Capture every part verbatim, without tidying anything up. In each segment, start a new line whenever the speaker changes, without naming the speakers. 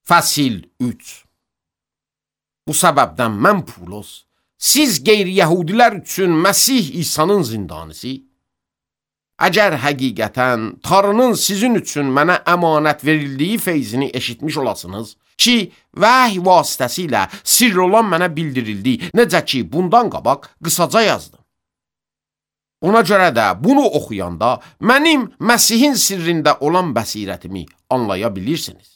Fəsil üç. Bu səbəbdən mən Pavlos, siz qeyri-yəhudilər üçün Məsih İsa'nın zindanisi, əgər həqiqətən Tanrının sizin üçün mənə əmanət verildiyi feyzini eşitmiş olasınız ki, vəhy vasitəsilə sirr olan mənə bildirildi, necə ki, bundan qabaq qısaca yazdım. Ona görə də bunu oxuyanda mənim Məsihin sirrində olan bəsirətimi anlaya bilirsiniz.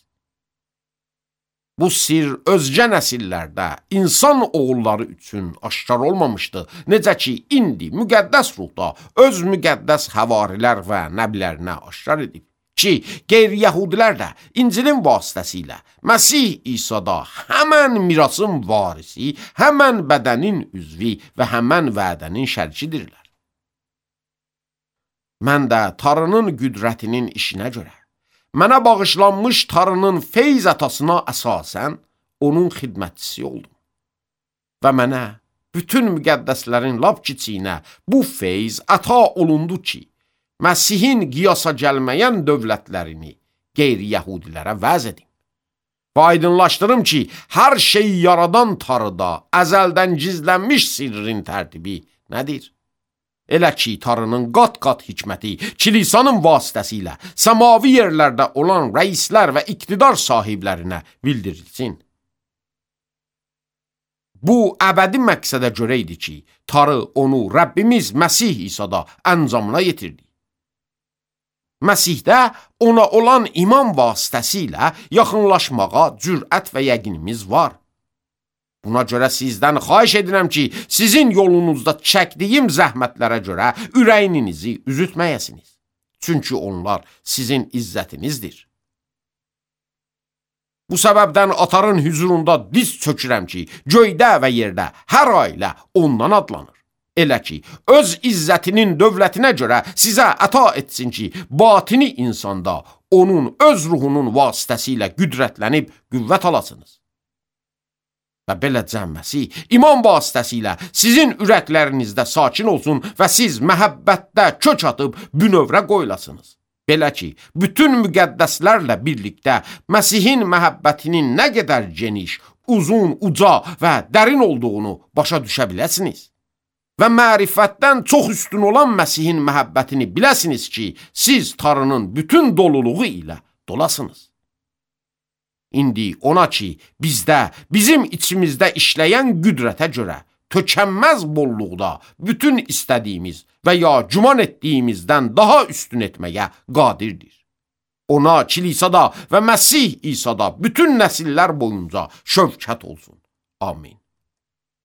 Bu sir özgə nəsillərdə insan oğulları üçün aşkar olmamışdı. Necə ki, indi müqəddəs ruhda öz müqəddəs həvarilər və nəblərinə aşkar edib. Ki, qeyri-yəhudilər də İncilin vasitəsilə Məsih İsa'da həmən mirasın varisi, həmən bədənin üzvi və həmən vədənin şərkidirlər. Mən də Tanrının qüdrətinin işinə görə mənə bağışlanmış Tanrının feyz atasına əsasən onun xidmətçisi oldum. Və mənə bütün müqəddəslərin lap kiçiyinə bu feyz ata olundu ki, Məsihin qiyasa gəlməyən dövlətlərini qeyri-yəhudilərə vəz edim. Və aydınlaşdırım ki, hər şeyi yaradan Tanrıda əzəldən gizlənmiş sirrin tərtibi nədir? Elə ki, Tanrının qat-qat hikməti kilisanın vasitəsilə səmavi yerlərdə olan rəislər və iqtidar sahiblərinə bildirilsin. Bu, əbədi məqsədə görə idi ki, Tanrı onu Rəbbimiz Məsih İsa'da əncamına yetirdi. Məsihdə ona olan iman vasitəsilə yaxınlaşmağa cürət və yəqinimiz var. Buna görə sizdən xahiş edirəm ki, sizin yolunuzda çəkdiyim zəhmətlərə görə ürəyinizi üzütməyəsiniz. Çünki onlar sizin izzətinizdir. Bu səbəbdən atarın hüzurunda diz çökürəm ki, göydə və yerdə hər ailə ondan adlanır. Elə ki, öz izzətinin dövlətinə görə sizə əta etsin ki, batini insanda onun öz ruhunun vasitəsilə qüdrətlənib qüvvət alasınız. Və beləcə Məsih iman vasitəsilə sizin ürəklərinizdə sakin olsun və siz məhəbbətdə kök atıb bünövrə qoyulasınız. Belə ki, bütün müqəddəslərlə birlikdə Məsihin məhəbbətinin nə qədər geniş, uzun, uca və dərin olduğunu başa düşə biləsiniz. Və mərifətdən çox üstün olan Məsihin məhəbbətini biləsiniz ki, siz Tanrının bütün doluluğu ilə dolasınız. İndi ona ki, bizdə, bizim içimizdə işləyən qüdrətə görə, tökənməz bolluqda bütün istədiyimiz və ya güman etdiyimizdən daha üstün etməyə qadirdir. Ona kilisada və Məsih İsa'da bütün nəsillər boyunca şövkət olsun. Amin.